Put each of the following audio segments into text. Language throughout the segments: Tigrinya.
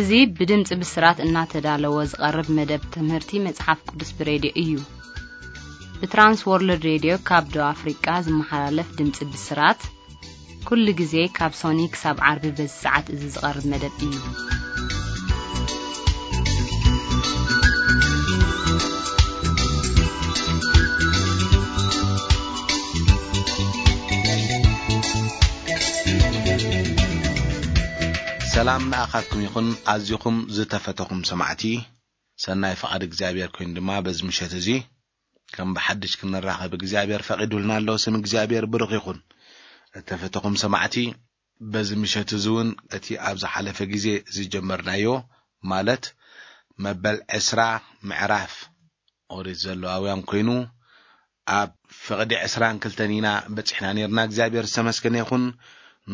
እዚ ብድምፂ ብስራት እናተዳለወ ዝቐርብ መደብ ትምህርቲ መጽሓፍ ቅዱስ ብሬድዮ እዩ። ብትራንስ ወርልድ ሬድዮ ካብ ደቡብ ኣፍሪቃ ዝመሓላለፍ ድምፂ ብስራት፣ ኩሉ ግዜ ካብ ሶኒ ክሳብ ዓርቢ በዚ ሰዓት እዚ ዝቐርብ መደብ እዩ። ሰላም ንኣኻትኩም ይኹን፣ ኣዚኹም ዝተፈተኹም ሰማዕቲ። ሰናይ ፍቓድ እግዚኣብሔር ኮይኑ ድማ በዚ ምሸት እዚ ከም ብሓድሽ ክንራኸብ እግዚኣብሔር ፈቒዱልና ኣሎ። ስም እግዚኣብሔር ብሩኽ ይኹን። እተፈተኹም ሰማዕቲ፣ በዚ ምሸት እዚ እውን እቲ ኣብ ዝሓለፈ ግዜ ዝጀመርናዮ፣ ማለት መበል ዕስራ ምዕራፍ ኦሪት ዘለዋውያን ኮይኑ፣ ኣብ ፍቕዲ ዕስራን ክልተን ኢና በጺሕና ነርና። እግዚኣብሔር ዝተመስገነ ይኹን።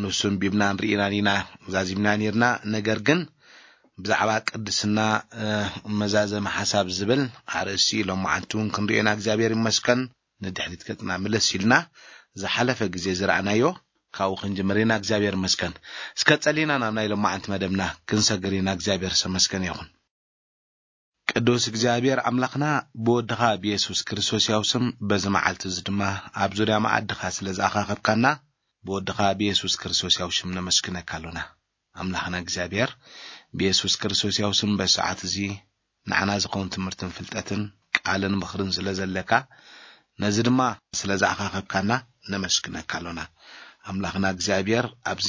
ንሱ ኣንቢብናን ርኢናን ኢና ዛዚምና ነርና። ነገር ግን ብዛዕባ ቅድስና፣ እ፣ መዛዘሚ ሓሳብ ዝብል ኣርእስቲ ሎማዓንቲ እውን ክንርእዮና እግዚኣብሔር ይመስገን። ንድሕሪት ገጽና ምልስ ኢልና ዝሓለፈ ግዜ ዝረኣናዮ ካብኡ ክንጅምር ኢና። እግዚኣብሔር ይመስገን። እስከ ጸሊና ናብ ናይ ሎማዓንቲ መደብና ክንሰግር ኢና። እግዚኣብሔር ዝተመስገነ ይኹን። ቅዱስ እግዚኣብሔር ኣምላኽና፣ ብወድኻ ብየሱስ ክርስቶስ ያው ስም በዚ መዓልቲ እዚ ድማ ኣብ ዙርያ መኣድኻ ስለ ዝኣኻኸብካና፣ ብወድኻ ብየሱስ ክርስቶስ ያው ሽም ነመስግነካ ኣሎና። ኣምላኽና እግዚኣብሔር፣ ብየሱስ ክርስቶስ ያው ስም በዚ ሰዓት እዚ ንዓና ዝኸውን ትምህርትን ፍልጠትን ቃልን ምኽርን ስለ ዘለካ፣ ነዚ ድማ ስለ ዝኣኻኸብካና ነመስግነካ ኣሎና። ኣምላኽና እግዚኣብሔር፣ ኣብዚ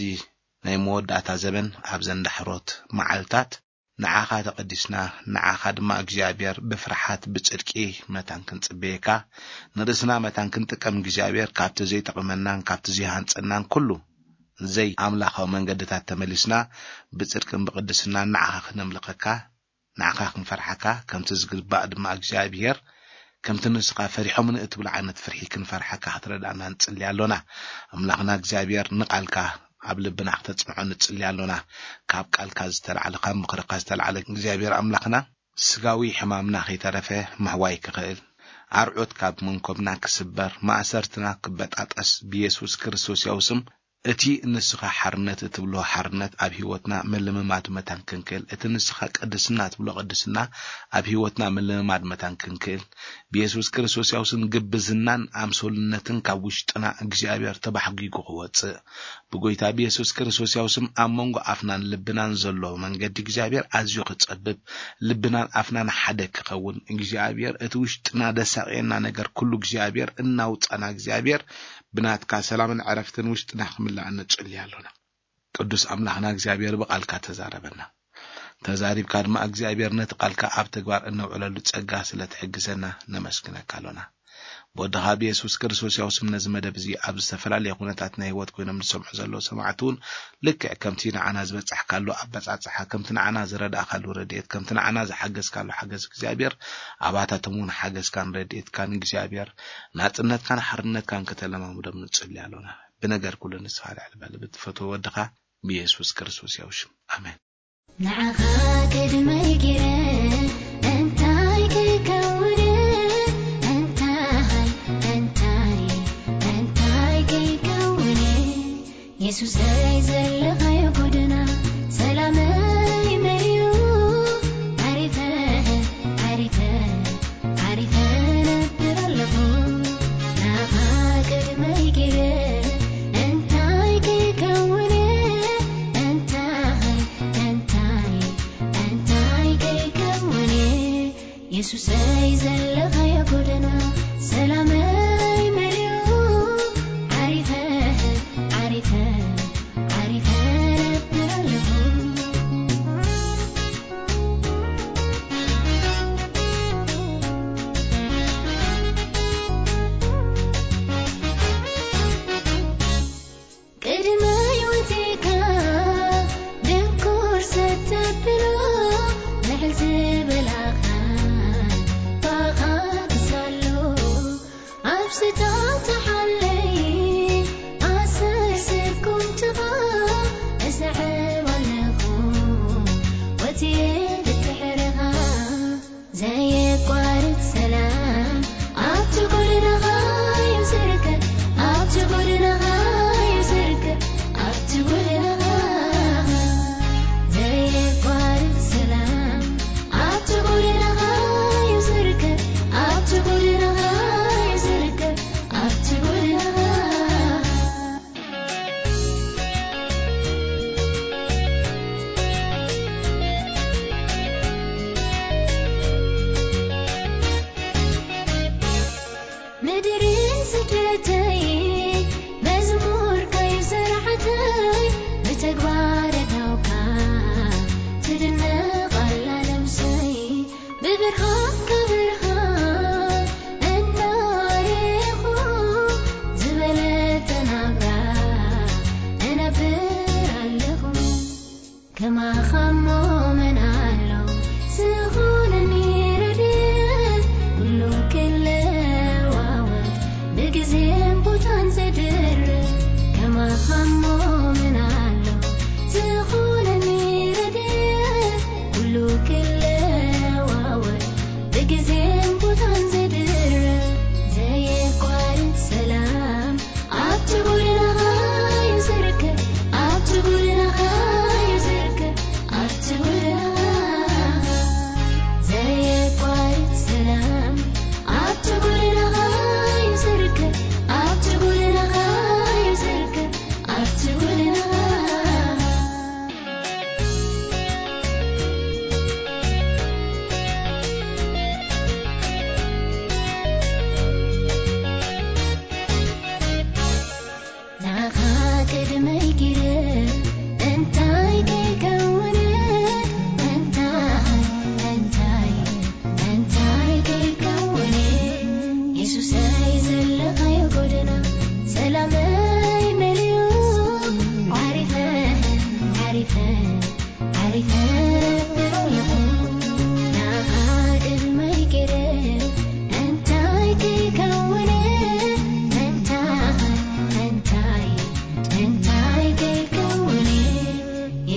ናይ መወዳእታ ዘበን፣ ኣብዘን ዳሕሮት መዓልታት፣ ንዓኻ ተቐዲስና፣ ንዓኻ ድማ እግዚኣብሔር ብፍርሓት ብጽድቂ መታን ክንጽበየካ፣ ንርእስና መታን ክንጥቀም እግዚኣብሔር ካብቲ ዘይጠቕመናን ካብቲ ዘይሃንጸናን ኩሉ ዘይኣምላኻዊ መንገድታት ተመሊስና ብጽድቅን ብቕድስናን ንዓኻ ክነምልኸካ፣ ንዓኻ ክንፈርሓካ፣ ከምቲ ዝግባእ ድማ እግዚኣብሔር ከምቲ ንስኻ ፈሪሖምን እትብሎ ዓይነት ፍርሒ ክንፈርሓካ ክትረድኣና ንጽሊ ኣሎና። ኣምላኽና እግዚኣብሔር ንቓልካ ኣብ ልብና ክተጽንዖ ንጽሊ ኣሎና። ካብ ቃልካ ዝተላዕለ፣ ካብ ምኽርካ ዝተላዕለ እግዚኣብሔር ኣምላኽና ስጋዊ ሕማምና ከይተረፈ ምሕዋይ ክኽእል፣ ኣርዑት ካብ መንኮብና ክስበር፣ ማእሰርትና ክበጣጠስ ብየሱስ ክርስቶስ ያው ስም እቲ ንስኻ ሓርነት እትብሎ ሓርነት ኣብ ህይወትና ምልምማድ መታን ክንክእል፣ እቲ ንስኻ ቅድስና እትብሎ ቅድስና ኣብ ህይወትና ምልምማድ መታን ክንክእል፣ ብየሱስ ክርስቶስ ያው ስም ግብዝናን ኣምሶልነትን ካብ ውሽጥና እግዚኣብሔር ተባሕጒጉ ክወጽእ፣ ብጎይታ ብየሱስ ክርስቶስ ያው ስም ኣብ መንጎ ኣፍናን ልብናን ዘሎ መንገዲ እግዚኣብሔር ኣዝዩ ክጸብብ፣ ልብናን ኣፍናን ሓደ ክኸውን፣ እግዚኣብሔር እቲ ውሽጥና ደሳቕየና ነገር ኩሉ እግዚኣብሔር እናውጻና፣ እግዚኣብሔር ብናትካ ሰላምን ዕረፍትን ውሽጥና ክምላእ ንጽሊ ኣሎና። ቅዱስ ኣምላኽና እግዚኣብሔር ብቓልካ ተዛረበና። ተዛሪብካ ድማ እግዚኣብሔር ነቲ ቃልካ ኣብ ተግባር እነውዕለሉ ጸጋ ስለ ትሕግዘና ነመስግነካ ኣሎና። ብወድኻ ብየሱስ ክርስቶስ ያው ስም ነዚ መደብ እዚ ኣብ ዝተፈላለየ ኩነታት ናይ ህይወት ኮይኖም ዝሰምዑ ዘለዉ ሰማዕቲ እውን ልክዕ ከምቲ ንዓና ዝበጻሕካሉ ኣበጻጽሓ፣ ከምቲ ንዓና ዝረዳእካሉ ረድኤት፣ ከምቲ ንዓና ዝሓገዝካሉ ሓገዝ እግዚኣብሔር ኣባታቶም እውን ሓገዝካን ረድኤትካን እግዚኣብሔር ናጽነትካን ሓርነትካን ከተለማምዶም ንጽሊ ኣሎና። ብነገር ኩሉ ንስኻ ልዕሊ በል ብትፈትዎ ወድኻ ብየሱስ ክርስቶስ ያው ሽም። ኣሜን። ንዓኻ ቅድመይ ገይረ እንታይ ክከውን? እንታይ፣ እንታይ፣ እንታይ ክከውን? የሱሰይ ዘለኻዮ ጎደና ሰላመይ መሊኡ፣ ዓሪፈ፣ ዓሪፈ፣ ዓሪፈ ነብር ኣለኹ። ናኻ ቅድመይ ገይረ እንታይ ክከውን? እንታይ፣ እንታይ፣ እንታይ ክከውን? የሱሰይ ዘለኻዮ ጎደና ሰላመይ መሊኡ፣ ዓሪፈ፣ ዓሪፈ፣ ዓሪፈ ነብር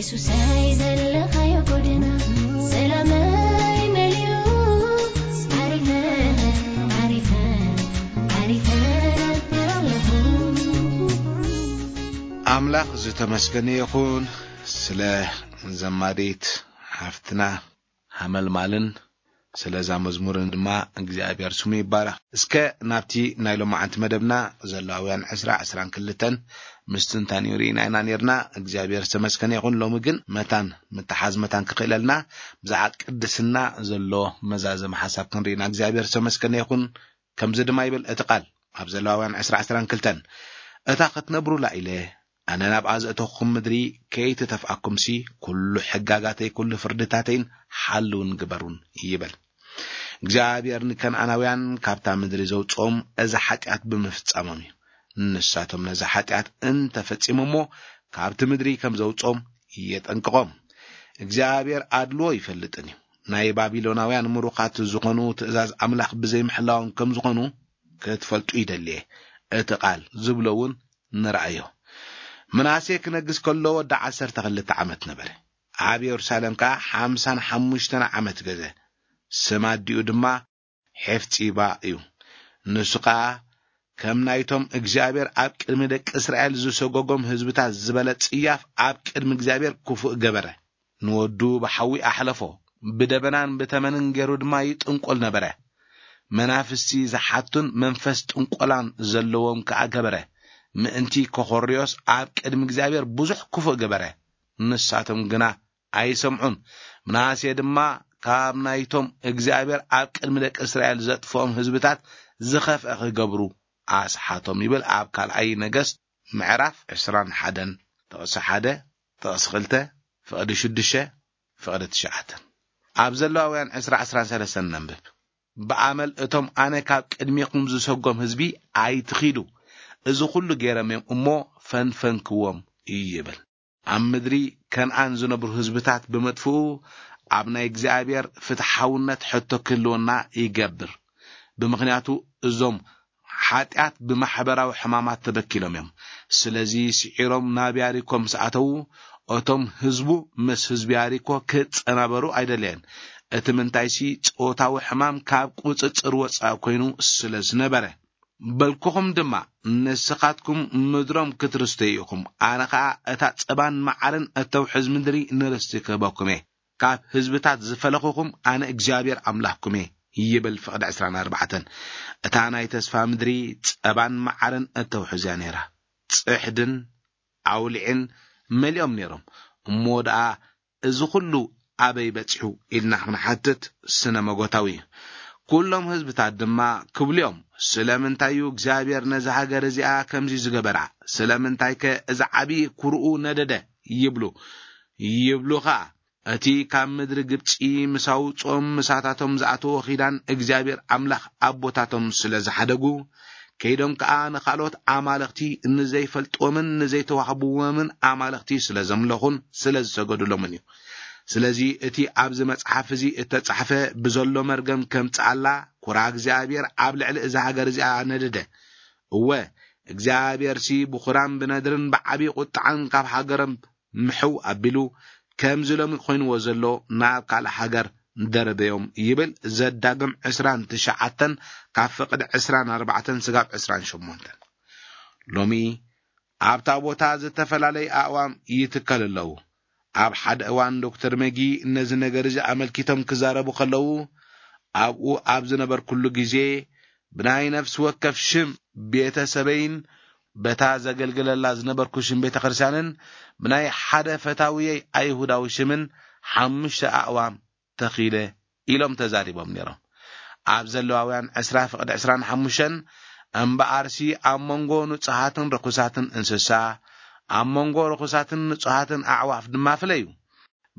ሱሳይ ዘለኻዮ ጎደና ሰላመይ መሊኡ ዓሪፈ ዓሪፈ ዓሪፈ ነብር ኣለኹ። ኣምላኽ ዝተመስገነ ይኹን ስለ ዘማሪት ሓፍትና ሃመልማልን ስለዛ መዝሙርን ድማ እግዚኣብሔር ስሙ ይባረኽ። እስከ ናብቲ ናይ ሎማዓንቲ መደብና ዘላውያን ዕስራ ዕስራን ክልተን ምስትንታን ሪኢና ኢና ነርና። እግዚኣብሔር ዝተመስገነ ይኹን። ሎሚ ግን መታን ምትሓዝ መታን ክኽእለልና ብዛዕባ ቅድስና ዘሎ መዛዘም ሓሳብ ክንርኢና እግዚኣብሔር ዝተመስገነ ይኹን። ከምዚ ድማ ይብል እቲ ቃል ኣብ ዘሌዋውያን ዕስራ ዕስራን ክልተን፣ እታ ክትነብሩላ ኢለ ኣነ ናብኣ ዘእተኹም ምድሪ ከይትተፍኣኩምሲ፣ ኩሉ ሕጋጋተይ፣ ኩሉ ፍርድታተይን ሓልውን ግበሩን ይብል። እግዚኣብሔር ንከነኣናውያን ካብታ ምድሪ ዘውፅኦም እዚ ሓጢኣት ብምፍጻሞም እዩ። ንሳቶም ነዚ ሓጢኣት እንተፈጺሞሞ ካብቲ ምድሪ ከም ዘውፅኦም የጠንቅቖም። እግዚኣብሔር ኣድልዎ ይፈልጥን እዩ። ናይ ባቢሎናውያን ምሩኻት ዝኾኑ ትእዛዝ ኣምላኽ ብዘይምሕላዎም ከም ዝኾኑ ክትፈልጡ ይደልየ። እቲ ቃል ዝብሎ እውን ንረኣዮ። ምናሴ ክነግስ ከሎ ወዲ ዓሰርተ ክልተ ዓመት ነበረ። ኣብ የሩሳሌም ከኣ ሓምሳን ሓሙሽተን ዓመት ገዘ። ስም ኣዲኡ ድማ ሔፍጺባ እዩ። ንሱ ከኣ ከም ናይቶም እግዚኣብሔር ኣብ ቅድሚ ደቂ እስራኤል ዝሰጎጎም ህዝብታት ዝበለ ጽያፍ ኣብ ቅድሚ እግዚኣብሔር ክፉእ ገበረ። ንወዱ ብሓዊ ኣሕለፎ፣ ብደበናን ብተመንን ገይሩ ድማ ይጥንቆል ነበረ። መናፍስቲ ዝሓቱን መንፈስ ጥንቆላን ዘለዎም ከኣ ገበረ። ምእንቲ ኮኾርዮስ ኣብ ቅድሚ እግዚኣብሔር ብዙሕ ክፉእ ገበረ። ንሳቶም ግና ኣይሰምዑን። ምናሴ ድማ ካብ ናይቶም እግዚኣብሔር ኣብ ቅድሚ ደቂ እስራኤል ዘጥፍኦም ህዝብታት ዝኸፍአ ክገብሩ ኣስሓቶም ይብል ኣብ ካልኣይ ነገስት ምዕራፍ ዕስራን ሓደን ጥቕሲ ሓደ፣ ጥቕሲ ክልተ፣ ፍቕዲ ሽዱሽተ፣ ፍቕዲ ትሽዓተን። ኣብ ዘለዋውያን ዕስራ ዕስራን ሰለስተን ነንብብ። ብኣመል እቶም ኣነ ካብ ቅድሜኹም ዝሰጎም ህዝቢ ኣይትኺዱ፣ እዚ ኹሉ ገይረም እዮም እሞ ፈንፈንክዎም ይብል። ኣብ ምድሪ ከነኣን ዝነብሩ ህዝብታት ብምጥፍኡ ኣብ ናይ እግዚኣብሔር ፍትሓውነት ሕቶ ክህልወና ይገብር። ብምኽንያቱ እዞም ሓጢኣት ብማሕበራዊ ሕማማት ተበኪሎም እዮም። ስለዚ ስዒሮም ናብ ያሪኮ ምስ ኣተዉ እቶም ህዝቡ ምስ ህዝቢ ያሪኮ ክጸናበሩ ኣይደለየን። እቲ ምንታይሲ ጾታዊ ሕማም ካብ ቁጽጽር ወጻኢ ኮይኑ ስለ ዝነበረ። በልኩኹም ድማ ንስኻትኩም ምድሮም ክትርስተዩ ኢኹም። ኣነ ኸኣ እታ ጸባን መዓርን እተውሕዝ ምድሪ ንርስቲ ክህበኩም እየ። ካብ ህዝብታት ዝፈለኹኹም ኣነ እግዚኣብሔር ኣምላኽኩም እየ ይብል ፍቕዲ ዕስራን ኣርባዕተን። እታ ናይ ተስፋ ምድሪ ጸባን መዓርን እተውሕዝ እያ ነይራ። ጽሕድን ኣውሊዕን መሊኦም ነይሮም። እሞ ደኣ እዚ ኹሉ ኣበይ በጺሑ ኢልና ክንሓትት ስነ መጎታዊ እዩ። ኩሎም ህዝብታት ድማ ክብሉ እዮም፣ ስለምንታይ እዩ እግዚኣብሔር ነዛ ሃገር እዚኣ ከምዚ ዝገበራ? ስለምንታይ ከ እዚ ዓብዪ ኩርኡ ነደደ? ይብሉ። ይብሉ ኸኣ፣ እቲ ካብ ምድሪ ግብጺ ምስ ኣውጽኦም ምሳታቶም ዝኣተዎ ኺዳን እግዚኣብሔር ኣምላኽ ኣቦታቶም ስለ ዝሓደጉ፣ ከይዶም ከኣ ንኻልኦት ኣማልኽቲ ንዘይፈልጥዎምን ንዘይተዋህብዎምን ኣማልኽቲ ስለ ዘምለኹን ስለ ዝሰገዱሎምን እዩ። ስለዚ እቲ ኣብዚ መጽሓፍ እዚ እተጻሕፈ ብዘሎ መርገም ከምጽኣላ ኩራ እግዚኣብሔር ኣብ ልዕሊ እዛ ሃገር እዚኣ ነደደ። እወ፣ እግዚኣብሔርሲ ብኹራን ብነድርን ብዓብዪ ቁጥዓን ካብ ሃገሮም ምሕው ኣቢሉ ከምዚ ሎሚ ኮይንዎ ዘሎ ናብ ካልእ ሃገር ደረበዮም ይብል ዘዳግም ዕስራን ትሽዓተን ካብ ፍቕዲ ዕስራን ኣርባዕተን ስጋብ ዕስራን ሸሞንተን። ሎሚ ኣብታ ቦታ ዝተፈላለየ ኣእዋም ይትከል ኣለዉ። ኣብ ሓደ እዋን ዶክተር መጊ ነዚ ነገር እዚ ኣመልኪቶም ክዛረቡ ከለዉ ኣብኡ ኣብ ዝነበርኩሉ ግዜ ብናይ ነፍሲ ወከፍ ሽም ቤተሰበይን በታ ዘገልግለላ ዝነበርኩ ሽም ቤተ ክርስቲያንን ብናይ ሓደ ፈታውየይ ኣይሁዳዊ ሽምን ሓሙሽተ ኣእዋም ተኺለ ኢሎም ተዛሪቦም ነይሮም። ኣብ ዘለዋውያን ዕስራ ፍቕዲ ዕስራን ሓሙሽተን እምበኣርሲ ኣብ መንጎ ንጹሃትን ርኹሳትን እንስሳ፣ ኣብ መንጎ ርኹሳትን ንጹሃትን ኣዕዋፍ ድማ ፍለዩ።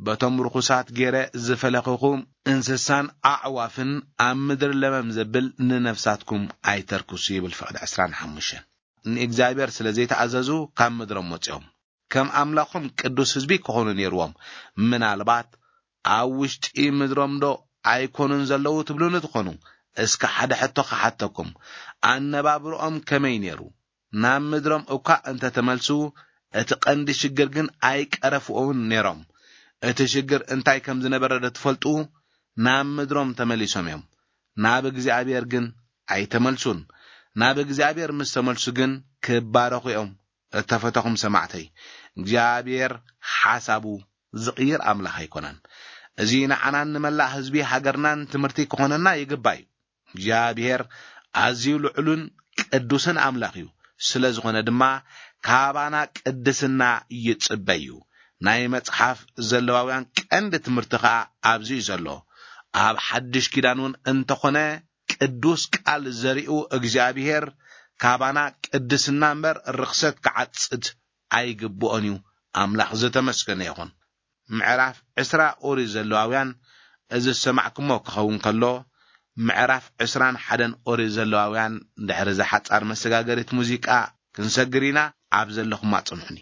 በቶም ርኹሳት ገይረ ዝፈለኹኹም እንስሳን ኣዕዋፍን ኣብ ምድሪ ለመም ዘብል ንነፍሳትኩም ኣይተርክሱ ይብል ፍቕዲ ዕስራን ሓሙሽተን። ንእግዚኣብሔር ስለ ዘይተኣዘዙ ካብ ምድሮም ወጺኦም። ከም ኣምላኾም ቅዱስ ህዝቢ ክኾኑ ነይርዎም። ምናልባት ኣብ ውሽጢ ምድሮም ዶ ኣይኮኑን ዘለዉ ትብሉኒ ትኾኑ። እስከ ሓደ ሕቶ ክሓተኩም። ኣነባብርኦም ከመይ ነይሩ? ናብ ምድሮም እኳ እንተ ተመልሱ እቲ ቀንዲ ሽግር ግን ኣይቀረፍዎን ነይሮም። እቲ ሽግር እንታይ ከም ዝነበረ ዶ ትፈልጡ? ናብ ምድሮም ተመሊሶም እዮም። ናብ እግዚኣብሔር ግን ኣይተመልሱን። ናብ እግዚኣብሔር ምስ ተመልሱ ግን ክባረኹ እዮም። እተፈተኹም ሰማዕተይ፣ እግዚኣብሔር ሓሳቡ ዝቕይር ኣምላኽ ኣይኮነን። እዚ ንዓናን ንመላእ ህዝቢ ሃገርናን ትምህርቲ ክኾነና ይግባእ እዩ። እግዚኣብሔር ኣዝዩ ልዑልን ቅዱስን ኣምላኽ እዩ። ስለ ዝኾነ ድማ ካባና ቅድስና ይጽበ እዩ። ናይ መጽሓፍ ዘለዋውያን ቀንዲ ትምህርቲ ኸኣ ኣብዚ እዩ ዘሎ። ኣብ ሓድሽ ኪዳን እውን እንተኾነ ቅዱስ ቃል ዘሪኡ እግዚኣብሔር ካባና ቅድስና እምበር ርኽሰት ክዓጽድ ኣይግብኦን እዩ። ኣምላኽ ዝተመስገነ ይኹን። ምዕራፍ ዕስራ ኦሪት ዘለዋውያን እዚ ዝሰማዕኩሞ ክኸውን ከሎ፣ ምዕራፍ ዕስራን ሓደን ኦሪት ዘለዋውያን ድሕሪ እዛ ሓጻር መሰጋገሪት ሙዚቃ ክንሰግር ኢና። ኣብ ዘለኹማ ጽንሑኒ።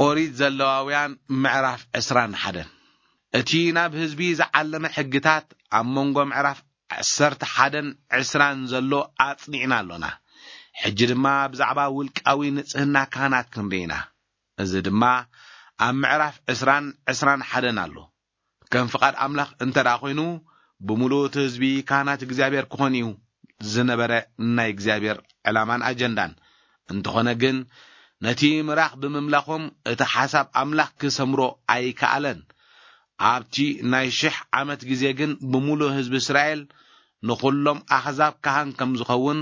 ኦሪት ዘለዋውያን ምዕራፍ ዕስራን ሓደን። እቲ ናብ ህዝቢ ዝዓለመ ሕግታት ኣብ መንጎ ምዕራፍ ዓሰርተ ሓደን ዕስራን ዘሎ ኣጽኒዕና ኣሎና። ሕጂ ድማ ብዛዕባ ውልቃዊ ንጽህና ካህናት ክንርኢ ኢና። እዚ ድማ ኣብ ምዕራፍ ዕስራን ዕስራን ሓደን ኣሎ። ከም ፍቓድ ኣምላኽ እንተ ደኣ ኾይኑ፣ ብምሉእ እቲ ህዝቢ ካህናት እግዚኣብሔር ክኾን እዩ ዝነበረ ናይ እግዚኣብሔር ዕላማን ኣጀንዳን። እንተኾነ ግን፣ ነቲ ምራኽ ብምምላኾም እቲ ሓሳብ ኣምላኽ ክሰምሮ ኣይከኣለን። ኣብቲ ናይ ሽሕ ዓመት ግዜ ግን ብምሉእ ህዝቢ እስራኤል ንኹሎም ኣሕዛብ ካህን ከም ዝኸውን፣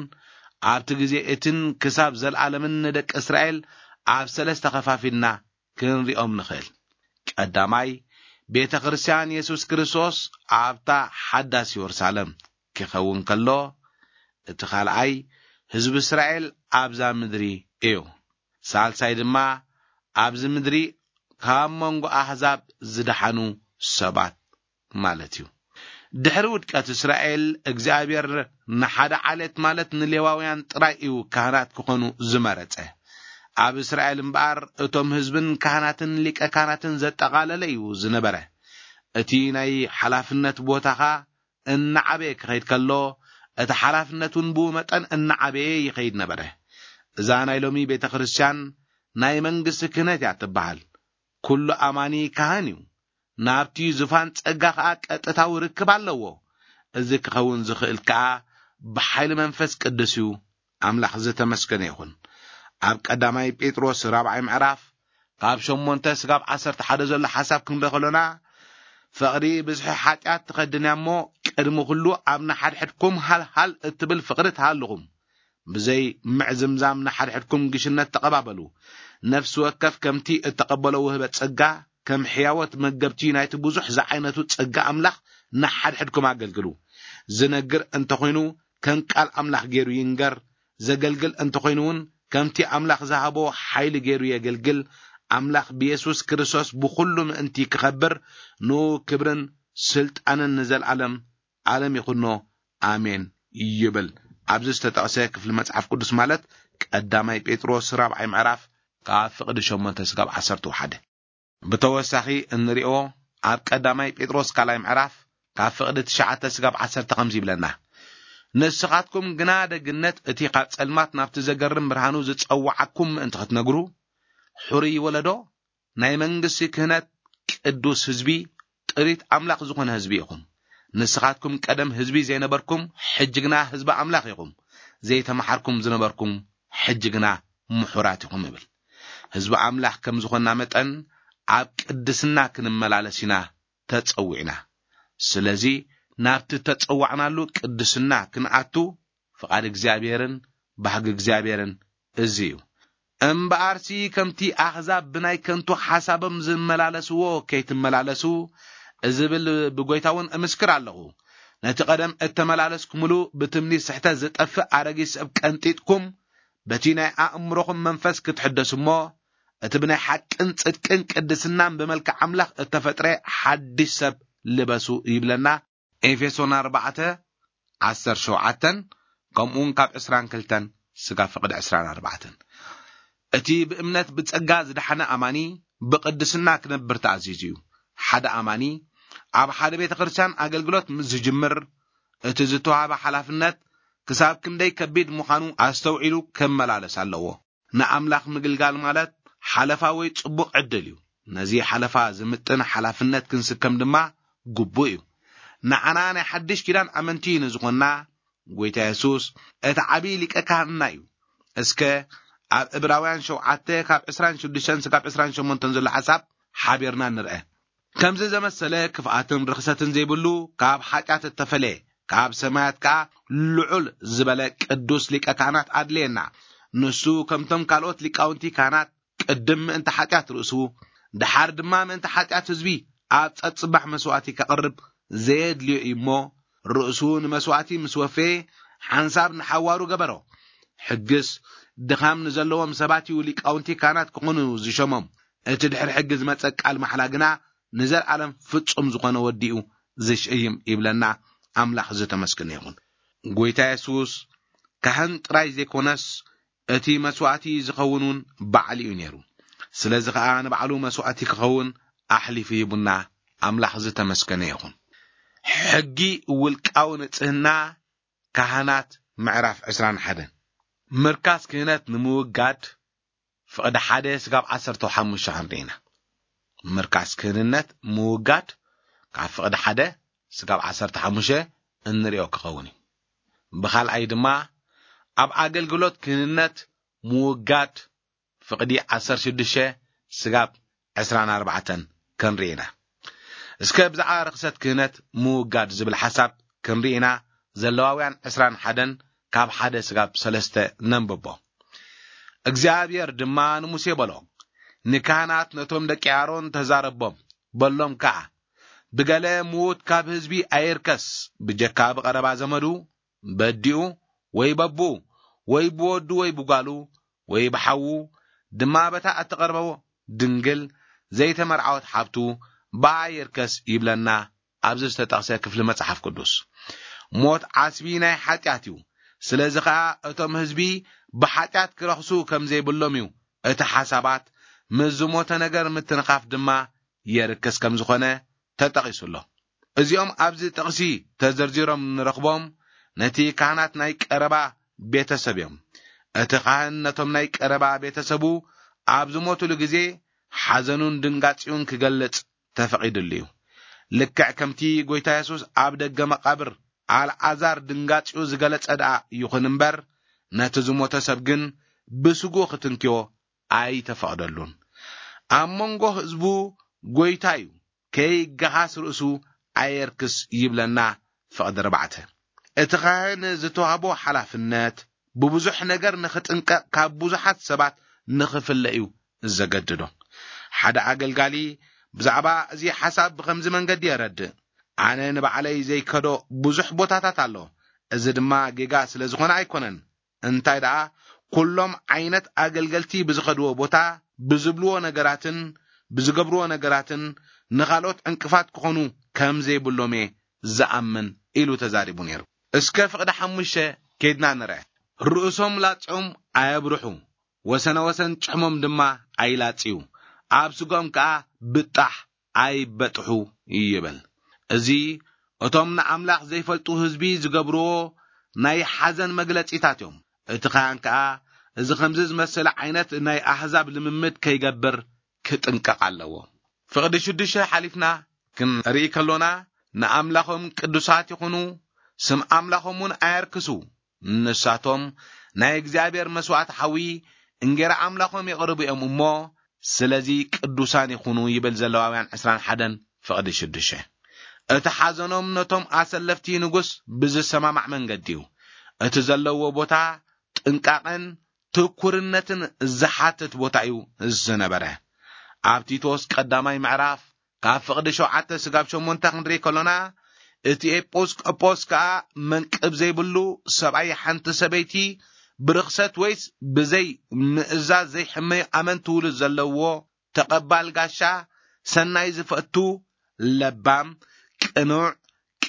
ኣብቲ ግዜ እትን ክሳብ ዘለኣለምን ንደቂ እስራኤል ኣብ ሰለስተ ኸፋፊልና ክንሪኦም ንኽእል። ቀዳማይ፣ ቤተ ክርስቲያን የሱስ ክርስቶስ ኣብታ ሓዳስ የሩሳሌም ክኸውን ከሎ፣ እቲ ካልኣይ፣ ህዝቢ እስራኤል ኣብዛ ምድሪ እዩ። ሳልሳይ ድማ፣ ኣብዚ ምድሪ ካብ መንጎ ኣሕዛብ ዝደሓኑ ሰባት ማለት እዩ። ድሕሪ ውድቀት እስራኤል፣ እግዚኣብሔር ንሓደ ዓሌት ማለት ንሌዋውያን ጥራይ እዩ ካህናት ክኾኑ ዝመረጸ። ኣብ እስራኤል እምበኣር፣ እቶም ህዝብን ካህናትን ሊቀ ካህናትን ዘጠቓለለ እዩ ዝነበረ። እቲ ናይ ሓላፍነት ቦታኻ እናዓበየ ክኸይድ ከሎ፣ እቲ ሓላፍነት እውን ብኡ መጠን እናዓበየ ይኸይድ ነበረ። እዛ ናይ ሎሚ ቤተ ክርስቲያን ናይ መንግስቲ ክህነት እያ ትበሃል። ኩሉ ኣማኒ ካህን እዩ። ናብቲ ዙፋን ጸጋ ኸኣ ቀጥታዊ ርክብ ኣለዎ። እዚ ክኸውን ዝኽእል ከኣ ብሓይሊ መንፈስ ቅዱስ እዩ። ኣምላኽ ዝተመስገነ ይኹን። ኣብ ቀዳማይ ጴጥሮስ ራብዓይ ምዕራፍ ካብ ሸሞንተ ስጋብ ዓሰርተ ሓደ ዘሎ ሓሳብ ክንርኢ ከሎና፣ ፍቕሪ ብዝሒ ሓጢኣት ትኸድን እያ እሞ፣ ቅድሚ ኩሉ ኣብ ንሓድሕድኩም ሃልሃል እትብል ፍቕሪ ትሃልኹም። ብዘይ ምዕዝምዛም ንሓድሕድኩም ግሽነት ተቐባበሉ። ነፍሲ ወከፍ ከምቲ እተቐበሎ ውህበት ጸጋ፣ ከም ሕያዎት መገብቲ ናይቲ ብዙሕ ዝዓይነቱ ጸጋ ኣምላኽ ንሓድሕድኩም ኣገልግሉ። ዝነግር እንተኾይኑ፣ ከም ቃል ኣምላኽ ገይሩ ይንገር። ዘገልግል እንተኾይኑ እውን፣ ከምቲ ኣምላኽ ዝሃቦ ሓይሊ ገይሩ የገልግል። ኣምላኽ ብየሱስ ክርስቶስ ብኹሉ ምእንቲ ክኸብር፣ ንኡ ክብርን ስልጣንን ንዘለኣለም ዓለም ይኹኖ። ኣሜን ይብል። ኣብዚ ዝተጠቕሰ ክፍሊ መጽሓፍ ቅዱስ ማለት ቀዳማይ ጴጥሮስ ራብዓይ ምዕራፍ ካብ ፍቕዲ ሸሞንተ ስጋብ ዓሰርተ ሓደ። ብተወሳኺ እንሪኦ ኣብ ቀዳማይ ጴጥሮስ ካልኣይ ምዕራፍ ካብ ፍቕዲ ትሽዓተ ስጋብ ዓሰርተ ከምዚ ይብለና፣ ንስኻትኩም ግና ደግነት እቲ ካብ ጸልማት ናብቲ ዘገርም ብርሃኑ ዝጸዋዓኩም ምእንቲ ክትነግሩ፣ ሕሩይ ወለዶ፣ ናይ መንግስቲ ክህነት፣ ቅዱስ ህዝቢ፣ ጥሪት ኣምላኽ ዝኾነ ህዝቢ ኢኹም። ንስኻትኩም ቀደም ህዝቢ ዘይነበርኩም፣ ሕጂ ግና ህዝቢ ኣምላኽ ኢኹም። ዘይተማሓርኩም ዝነበርኩም፣ ሕጂ ግና ምሑራት ኢኹም ይብል። ህዝቢ ኣምላኽ ከም ዝኾንና መጠን፣ ኣብ ቅድስና ክንመላለስ ኢና ተጸዊዕና። ስለዚ ናብቲ ተጸዋዕናሉ ቅድስና ክንኣቱ ፍቓድ እግዚኣብሔርን ባህጊ እግዚኣብሔርን እዚ እዩ። እምበኣርሲ ከምቲ ኣሕዛብ ብናይ ከንቱ ሓሳቦም ዝመላለስዎ ከይትመላለሱ፣ እዝብል ብጎይታ እውን እምስክር ኣለኹ። ነቲ ቀደም እተመላለስኩምሉ ብትምኒት ስሕተት ዝጠፍእ ኣረጊት ሰብ ቀንጢጥኩም፣ በቲ ናይ ኣእምሮኹም መንፈስ ክትሕደሱ እሞ፣ እቲ ብናይ ሓቅን ጽድቅን ቅድስናን ብመልክዕ ኣምላኽ እተፈጥረ ሓድሽ ሰብ ልበሱ ይብለና። ኤፌሶን ኣርባዕተ ዓሰርተ ሸውዓተን፣ ከምኡውን ካብ ዕስራን ክልተን ስጋብ ፍቕዲ ዕስራን ኣርባዕተን። እቲ ብእምነት ብጸጋ ዝደሓነ ኣማኒ ብቕድስና ክነብር ተኣዚዙ እዩ። ሓደ ኣማኒ ኣብ ሓደ ቤተ ክርስቲያን ኣገልግሎት ምስ ዝጅምር፣ እቲ ዝተዋህበ ሓላፍነት ክሳብ ክንደይ ከቢድ ምዃኑ ኣስተውዒሉ ክመላለስ ኣለዎ። ንኣምላኽ ምግልጋል ማለት ሓለፋ ወይ ጽቡቕ ዕድል እዩ። ነዚ ሓለፋ ዝምጥን ሓላፍነት ክንስከም ድማ ግቡእ እዩ። ንዓና ናይ ሓድሽ ኪዳን ኣመንቲ ንዝኾንና፣ ጎይታ የሱስ እቲ ዓብዪ ሊቀ ካህንና እዩ። እስከ ኣብ ዕብራውያን ሸውዓተ ካብ ዕስራን ሽዱሽተን ስጋብ ዕስራን ሸሞንተን ዘሎ ሓሳብ ሓቢርና ንርአ። ከምዚ ዘመሰለ ክፍኣትን ርኽሰትን ዘይብሉ፣ ካብ ሓጢኣት እተፈለየ፣ ካብ ሰማያት ከኣ ልዑል ዝበለ ቅዱስ ሊቀ ካህናት ኣድልየና። ንሱ ከምቶም ካልኦት ሊቃውንቲ ካህናት ቅድም ምእንቲ ሓጢኣት ርእሱ፣ ደሓር ድማ ምእንቲ ሓጢኣት ህዝቢ ኣብ ጸጽባሕ መስዋእቲ ከቕርብ ዘየድልዮ እዩ እሞ፣ ርእሱ ንመስዋእቲ ምስ ወፈየ፣ ሓንሳብ ንሓዋሩ ገበሮ። ሕግስ ድኻም ንዘለዎም ሰባት እዩ ሊቃውንቲ ካህናት ክኾኑ ዝሸሞም። እቲ ድሕሪ ሕጊ ዝመጸ ቃል ማሕላ ግና ንዘለኣለም ፍጹም ዝኾነ ወዲ እዩ ዝሽይም ይብለና። ኣምላኽ ዝተመስገነ ይኹን። ጎይታ የሱስ ካህን ጥራይ ዘይኮነስ፣ እቲ መስዋእቲ ዝኸውን እውን ባዕሉ እዩ ነይሩ። ስለዚ ኸኣ ንባዕሉ መስዋእቲ ክኸውን ኣሕሊፉ ሂቡና። ኣምላኽ ዝተመስገነ ይኹን። ሕጊ ውልቃዊ ንጽህና ካህናት ምዕራፍ ዕስራን ሓደን። ምርካስ ክህነት ንምውጋድ ፍቕዲ ሓደ ስጋብ ዓሰርተ ሓሙሽተ ክንርኢ ኢና። ምርካስ ክህንነት ምውጋድ ካብ ፍቕዲ ሓደ ስጋብ ዓሰርተ ሓሙሽተ እንሪኦ ክኸውን እዩ። ብኻልኣይ ድማ ኣብ ኣገልግሎት ክህንነት ምውጋድ ፍቕዲ ዓሰርተ ሽዱሽተ ስጋብ ዕስራን ኣርባዕተን ክንርኢ ኢና። እስከ ብዛዕባ ርኽሰት ክህነት ምውጋድ ዝብል ሓሳብ ክንርኢ ኢና። ዘለዋውያን ዕስራን ሓደን ካብ ሓደ ስጋብ ሰለስተ ነንብቦ። እግዚኣብሔር ድማ ንሙሴ በሎ፣ ንካህናት ነቶም ደቂ ኣሮን ተዛረቦም፣ በሎም ከኣ፣ ብገለ ምዉት ካብ ህዝቢ ኣይርከስ፣ ብጀካ ብቐረባ ዘመዱ፣ በዲኡ ወይ በብኡ ወይ ብወዱ ወይ ብጓሉ ወይ ብሓዉ ድማ በታ እትቐርበዎ ድንግል ዘይተመርዓወት ሓብቱ ብኣ ይርከስ ይብለና ኣብዚ ዝተጠቕሰ ክፍሊ መጽሓፍ ቅዱስ። ሞት ዓስቢ ናይ ሓጢኣት እዩ። ስለዚ ኸኣ እቶም ህዝቢ ብሓጢኣት ክረኽሱ ከም ዘይብሎም እዩ እቲ ሓሳባት ምስ ዝሞተ ነገር ምትንኻፍ ድማ የርክስ ከም ዝኾነ ተጠቒሱ ኣሎ። እዚኦም ኣብዚ ጥቕሲ ተዘርዚሮም ንረኽቦም ነቲ ካህናት ናይ ቀረባ ቤተሰብ እዮም። እቲ ካህን ነቶም ናይ ቀረባ ቤተሰቡ ኣብ ዝሞቱሉ ግዜ ሓዘኑን ድንጋጺኡን ክገልጽ ተፈቒድሉ እዩ። ልክዕ ከምቲ ጎይታ የሱስ ኣብ ደገ መቓብር ኣልዓዛር ድንጋጺኡ ዝገለጸ ደኣ ይኹን እምበር፣ ነቲ ዝሞተ ሰብ ግን ብስጉ ክትንክዮ ኣይተፈቕደሉን። ኣብ መንጎ ህዝቡ ጎይታ እዩ፣ ከይገሃስ ርእሱ ኣየርክስ ይብለና ፍቕዲ ኣርባዕተ። እቲ ካህን ዝተዋህቦ ሓላፍነት ብብዙሕ ነገር ንኽጥንቀቕ ካብ ብዙሓት ሰባት ንኽፍለ እዩ ዘገድዶ። ሓደ ኣገልጋሊ ብዛዕባ እዚ ሓሳብ ብኸምዚ መንገዲ የረድእ፣ ኣነ ንባዕለይ ዘይከዶ ብዙሕ ቦታታት ኣሎ። እዚ ድማ ጌጋ ስለ ዝኾነ ኣይኮነን። እንታይ ደኣ፣ ኩሎም ዓይነት ኣገልገልቲ ብዝኸድዎ ቦታ፣ ብዝብልዎ ነገራትን ብዝገብርዎ ነገራትን ንኻልኦት ዕንቅፋት ክኾኑ ከም ዘይብሎም እየ ዝኣምን ኢሉ ተዛሪቡ ነይሩ። እስከ ፍቕዲ ሓሙሽተ ኬድና ንርአ። ርእሶም ላጽዮም ኣየብርሑ፣ ወሰነ ወሰን ጭሕሞም ድማ ኣይላጽዩ፣ ኣብ ስጎም ከኣ ብጣሕ ኣይበጥሑ ይብል። እዚ እቶም ንኣምላኽ ዘይፈልጡ ህዝቢ ዝገብርዎ ናይ ሓዘን መግለጺታት እዮም። እቲ ካህን ከኣ እዚ ኸምዚ ዝመሰለ ዓይነት ናይ ኣህዛብ ልምምድ ከይገብር ክጥንቀቕ ኣለዎ። ፍቕዲ ሽዱሽተ ሓሊፍና ክንርኢ ከሎና፣ ንኣምላኾም ቅዱሳት ይኹኑ፣ ስም ኣምላኾም እውን ኣየርክሱ። ንሳቶም ናይ እግዚኣብሔር መስዋእቲ ሓዊ፣ እንጌራ ኣምላኾም የቕርቡ እዮም እሞ፣ ስለዚ ቅዱሳን ይኹኑ ይብል ዘለዋውያን ዕስራን ሓደን ፍቕዲ ሽዱሽተ። እቲ ሓዘኖም ነቶም ኣሰለፍቲ ንጉስ ብዝሰማማዕ መንገዲ እዩ። እቲ ዘለዎ ቦታ ጥንቃቐን ትኩርነትን ዝሓትት ቦታ እዩ ዝነበረ። ኣብ ቲቶስ ቀዳማይ ምዕራፍ ካብ ፍቕዲ ሸውዓተ ስጋብ ሸሞንተ ክንርኢ ከሎና፣ እቲ ኤጲስቆጶስ ከኣ መንቅብ ዘይብሉ ሰብኣይ ሓንቲ ሰበይቲ ብርኽሰት ወይስ ብዘይ ምእዛዝ ዘይሕመዩ ኣመንቲ ውሉድ ዘለዎ ተቐባል ጋሻ፣ ሰናይ ዝፈቱ፣ ለባም፣ ቅኑዕ፣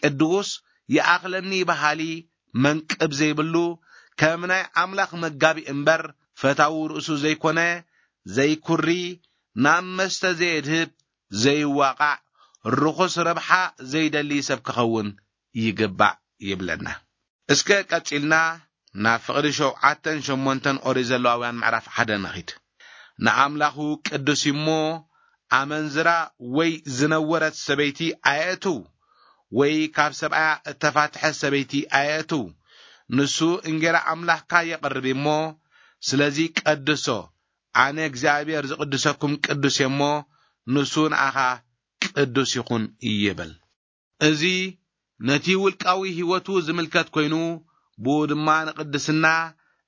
ቅዱስ፣ ይኣኽለኒ በሃሊ፣ መንቅብ ዘይብሉ፣ ከም ናይ ኣምላኽ መጋቢ እምበር ፈታዊ ርእሱ ዘይኮነ፣ ዘይኩሪ፣ ናብ መስተ ዘየድህብ፣ ዘይዋቓዕ፣ ርኹስ ረብሓ ዘይደሊ ሰብ ክኸውን ይግባእ ይብለና። እስከ ቀጺልና ናብ ፍቕዲ ሸውዓተን ሸሞንተን ኦሪት ዘለዋውያን ምዕራፍ ሓደ ንኺድ። ንኣምላኹ ቅዱስ እሞ ኣመንዝራ ወይ ዝነወረት ሰበይቲ ኣየእትው፣ ወይ ካብ ሰብኣያ እተፋትሐ ሰበይቲ ኣየእትው። ንሱ እንጌራ ኣምላኽካ የቕርብ እሞ፣ ስለዚ ቀድሶ፣ ኣነ እግዚኣብሔር ዝቕድሰኩም ቅዱስ እየ እሞ፣ ንሱ ንኣኻ ቅዱስ ይኹን ይብል። እዚ ነቲ ውልቃዊ ህይወቱ ዝምልከት ኮይኑ፣ ብኡ ድማ ንቅድስና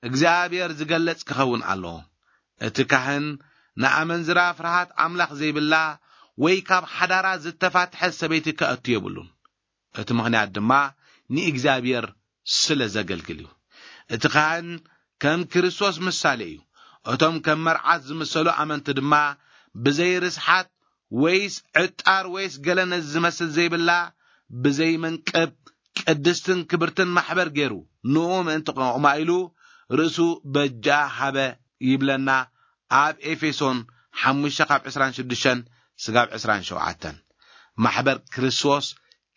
እግዚኣብሔር ዝገልጽ ክኸውን ኣለዎ። እቲ ካህን ንኣመንዝራ ፍርሃት ኣምላኽ ዘይብላ ወይ ካብ ሓዳራ ዝተፋትሐት ሰበይቲ ከእቱ የብሉን። እቲ ምኽንያት ድማ ንእግዚኣብሔር ስለ ዘገልግል እዩ። እቲ ካህን ከም ክርስቶስ ምሳሌ እዩ። እቶም ከም መርዓት ዝምሰሉ ኣመንቲ ድማ ብዘይ ርስሓት ወይስ ዕጣር ወይስ ገለ ነዚ ዝመስል ዘይብላ ብዘይ መንቅብ ቅድስትን ክብርትን ማሕበር ገይሩ ንኡ ምእንቲ ክቕማ ኢሉ ርእሱ በጃ ሃበ ይብለና ኣብ ኤፌሶን ሓሙሽተ ካብ ዕስራን ሽዱሽተን ስጋብ ዕስራን ሸውዓተን። ማሕበር ክርስቶስ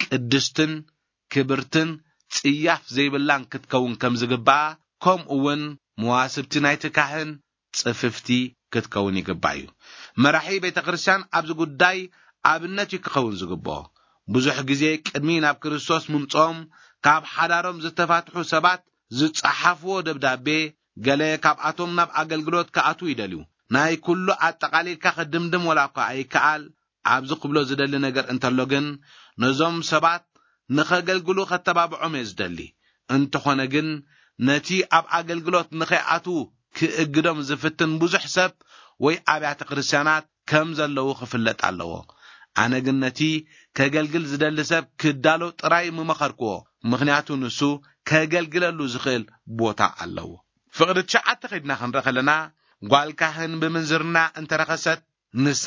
ቅድስትን ክብርትን ጽያፍ ዘይብላን ክትከውን ከም ዝግባኣ፣ ከምኡ እውን መዋስብቲ ናይቲ ካህን ጽፍፍቲ ክትከውን ይግባእ እዩ። መራሒ ቤተ ክርስቲያን ኣብዚ ጉዳይ ኣብነት እዩ ክኸውን ዝግብኦ። ብዙሕ ግዜ ቅድሚ ናብ ክርስቶስ ምምጽኦም ካብ ሓዳሮም ዝተፋትሑ ሰባት ዝጸሓፍዎ ደብዳቤ፣ ገለ ካብኣቶም ናብ ኣገልግሎት ክኣትዉ ይደልዩ። ናይ ኩሉ ኣጠቓሊልካ ክድምድም ወላ እኳ ኣይከኣል፣ ኣብዚ ክብሎ ዝደሊ ነገር እንተሎ ግን፣ ነዞም ሰባት ንኸገልግሉ ከተባብዖም እየ ዝደሊ። እንተኾነ ግን፣ ነቲ ኣብ ኣገልግሎት ንኸይኣትዉ ክእግዶም ዝፍትን ብዙሕ ሰብ ወይ ኣብያተ ክርስቲያናት ከም ዘለዉ ክፍለጥ ኣለዎ። ኣነ ግን ነቲ ከገልግል ዝደሊ ሰብ ክዳሎ ጥራይ ምመኸርክዎ፣ ምኽንያቱ ንሱ ከገልግለሉ ዝኽእል ቦታ ኣለዎ። ፍቕዲ ትሽዓተ ከይድና ክንርኢ ከለና፣ ጓል ካህን ብምንዝርና እንተረኸሰት፣ ንሳ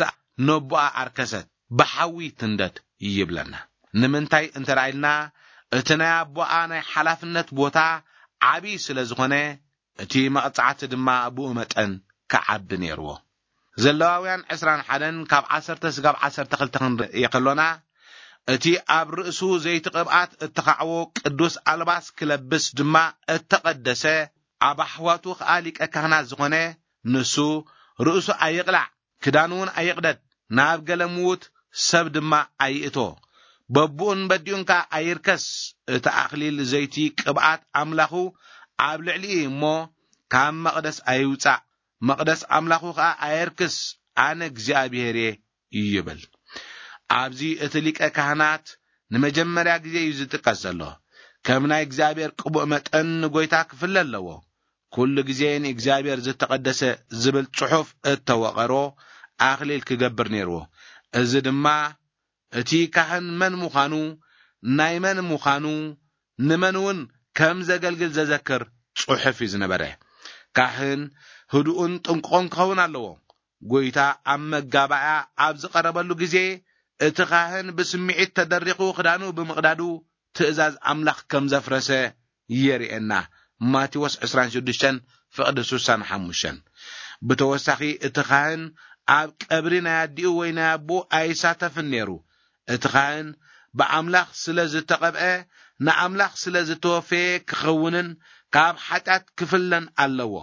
ነቦኣ ኣርከሰት፣ ብሓዊ ትንደድ ይብለና። ንምንታይ እንተ ኢልና፣ እቲ ናይ ኣቦኣ ናይ ሓላፍነት ቦታ ዓቢ ስለ ዝኾነ፣ እቲ መቕጻዕቲ ድማ ብኡ መጠን ክዓቢ ነይርዎ። ዘለዋውያን ዕስራን ሓደን ካብ ዓሰርተ ስጋብ ዓሰርተ ክልተ ክንርኢ ከሎና፣ እቲ ኣብ ርእሱ ዘይቲ ቅብኣት እተኻዕቦ ቅዱስ ኣልባስ ክለብስ ድማ እተቐደሰ፣ ኣብ ኣሕዋቱ ኸኣ ሊቀ ካህናት ዝኾነ፣ ንሱ ርእሱ ኣይቕላዕ፣ ክዳኑ እውን ኣይቕደድ፣ ናብ ገለ ምዉት ሰብ ድማ ኣይእቶ፣ በብኡን በዲኡን ከኣ ኣይርከስ። እቲ ኣኽሊል ዘይቲ ቅብኣት ኣምላኹ ኣብ ልዕሊኡ እዩ እሞ፣ ካብ መቕደስ ኣይውጻእ፣ መቕደስ ኣምላኹ ኸኣ ኣየርክስ፣ ኣነ እግዚኣብሔር እየ ይብል። ኣብዚ እቲ ሊቀ ካህናት ንመጀመርያ ግዜ እዩ ዝጥቀስ ዘሎ። ከም ናይ እግዚኣብሔር ቅቡእ መጠን ንጎይታ ክፍለ ኣለዎ። ኩሉ ግዜ ንእግዚኣብሔር ዝተቐደሰ ዝብል ጽሑፍ እተወቐሮ ኣኽሊል ክገብር ነይርዎ። እዚ ድማ እቲ ካህን መን ምዃኑ፣ ናይ መን ምዃኑ፣ ንመን እውን ከም ዘገልግል ዘዘክር ጽሑፍ እዩ ዝነበረ። ካህን ህዱእን ጥንቁቕን ክኸውን ኣለዎ። ጎይታ ኣብ መጋባእያ ኣብ ዝቐረበሉ ግዜ፣ እቲ ካህን ብስምዒት ተደሪኹ ክዳኑ ብምቕዳዱ ትእዛዝ ኣምላኽ ከም ዘፍረሰ የርእየና። ማቴዎስ ዕስራን ሽዱሽተን ፍቕዲ ስሳን ሓሙሽተን። ብተወሳኺ እቲ ካህን ኣብ ቀብሪ ናይ ኣዲኡ ወይ ናይ ኣቦኡ ኣይሳተፍን ነይሩ። እቲ ካህን ብኣምላኽ ስለ ዝተቐብአ፣ ንኣምላኽ ስለ ዝተወፈየ ክኸውንን ካብ ሓጢኣት ክፍለን ኣለዎ።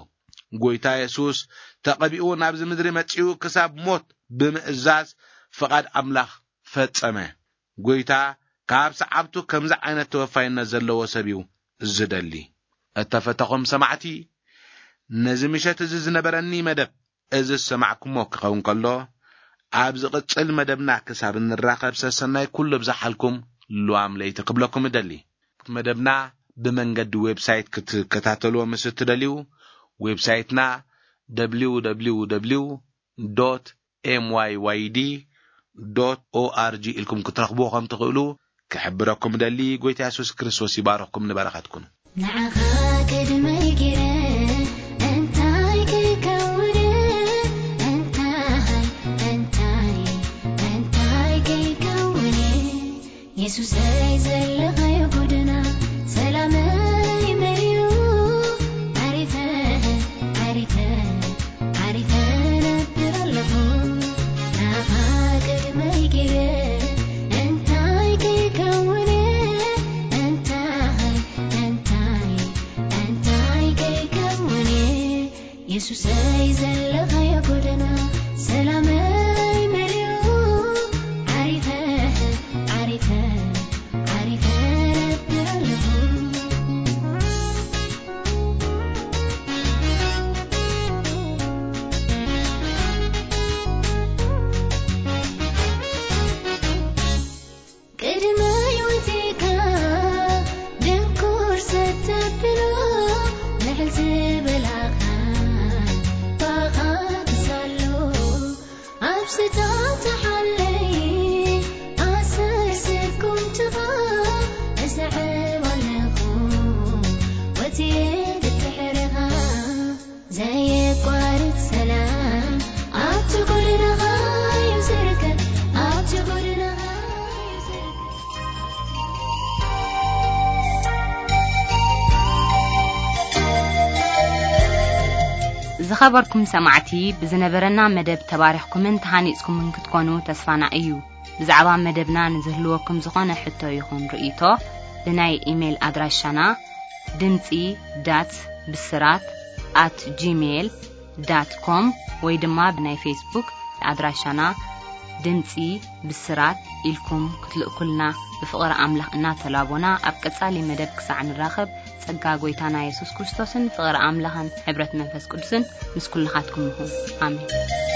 ጎይታ የሱስ ተቐቢኡ ናብዚ ምድሪ መጺኡ ክሳብ ሞት ብምእዛዝ ፍቓድ ኣምላኽ ፈጸመ። ጎይታ ካብ ሰዓብቱ ከምዚ ዓይነት ተወፋይነት ዘለዎ ሰብ እዩ ዝደሊ። እተፈተኹም ሰማዕቲ፣ ነዚ ምሸት እዚ ዝነበረኒ መደብ እዚ ዝሰማዕኩሞ ክኸውን ከሎ፣ ኣብ ዝቕጽል መደብና ክሳብ እንራኸብ ሰሰናይ ኩሉ ብዝሓልኩም ልዋም ለይቲ ክብለኩም እደሊ። መደብና ብመንገዲ ዌብሳይት ክትከታተልዎ ምስ እትደልዩ፣ ዌብሳይትና ደብሊው ደብሊው ደብሊው ዶት ኤም ዋይ ዋይ ዲ ዶት ኦ ኣር ጂ ኢልኩም ክትረኽብዎ ከም ትኽእሉ ክሕብረኩም እደሊ። ጎይታ የሱስ ክርስቶስ ይባርኽኩም፣ ንበረኸት ኩኑ። ንዓኻ ቅድመይ ገይረ እንታይ ከይከውን፣ እንታይ፣ እንታይ፣ እንታይ ከይከውን፣ የሱስ ሱሰይ ዘለኻዮ ጎደና ሰላመይ መሊኡ፣ ዓሪፈ፣ ዓሪፈ፣ ዓሪፈ ነብር ኣለኹ። ናኻ ቅድመይ ገይረ እንታይ ከይከውነ፣ እንታይ፣ እንታይ፣ እንታይ ከይከውነ። የሱሰይ ዘለኻዮ ጎደና ሰላመይ መሊኡ፣ ዓሪፈ፣ ዓሪፈ፣ ዓሪፈ ነብር ኣለኹ። ቅድመ ህይወቴካ ድንኩር ሰተብሎ ልዕል ዝበላኻ ባኻ ክሳሎ ኣብ ስታተሓለይ ኣሰር ስኩምትኻ እሰዕብ ኣለኹ ወትየ ድድሕርኻ ዘየቋርጽ ሰላም ኣብቲ ጎደናኻ እዩ ዝርከብ፣ ኣብቲ ጎደናኻ እዩ ዝርከብ። ዝኸበርኩም ሰማዕቲ፣ ብዝነበረና መደብ ተባሪኽኩምን ተሃኒጽኩምን ክትኮኑ ተስፋና እዩ። ብዛዕባ መደብና ንዝህልወኩም ዝኾነ ሕቶ ይኹን ርእይቶ፣ ብናይ ኢሜይል ኣድራሻና ድምጺ ዳት ብስራት ኣት ጂሜይል ዳት ኮም ወይ ድማ ብናይ ፌስቡክ ኣድራሻና ድምጺ ብስራት ኢልኩም ክትልእኩልና ብፍቕሪ ኣምላኽ እናተላቦና፣ ኣብ ቀጻሊ መደብ ክሳዕ ንራኸብ፣ ጸጋ ጐይታና የሱስ ክርስቶስን ፍቕሪ ኣምላኽን ሕብረት መንፈስ ቅዱስን ምስ ኩልኻትኩም ይኹን። ኣሜን።